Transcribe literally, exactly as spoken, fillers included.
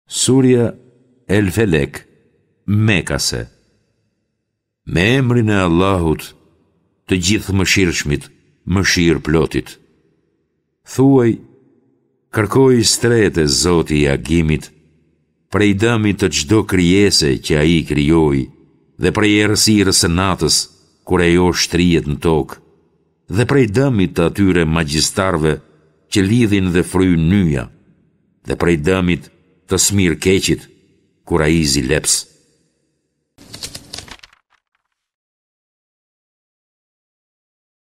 Surja El Felek, Mekase. Me emrin e Allahut, të Gjithëmëshirshmit, Mëshirëplotit. Thuaj, kërkoj strehë te Zoti i agimit, prej dëmit të çdo krijese që ai krijoi dhe prej errësirës së natës, kur ajo shtrihet në tokë, dhe prej dëmit të atyre magjistarëve që lidhin dhe fryjnë nyja, dhe prej dëmit të smirëkeqit, kur ai zileps.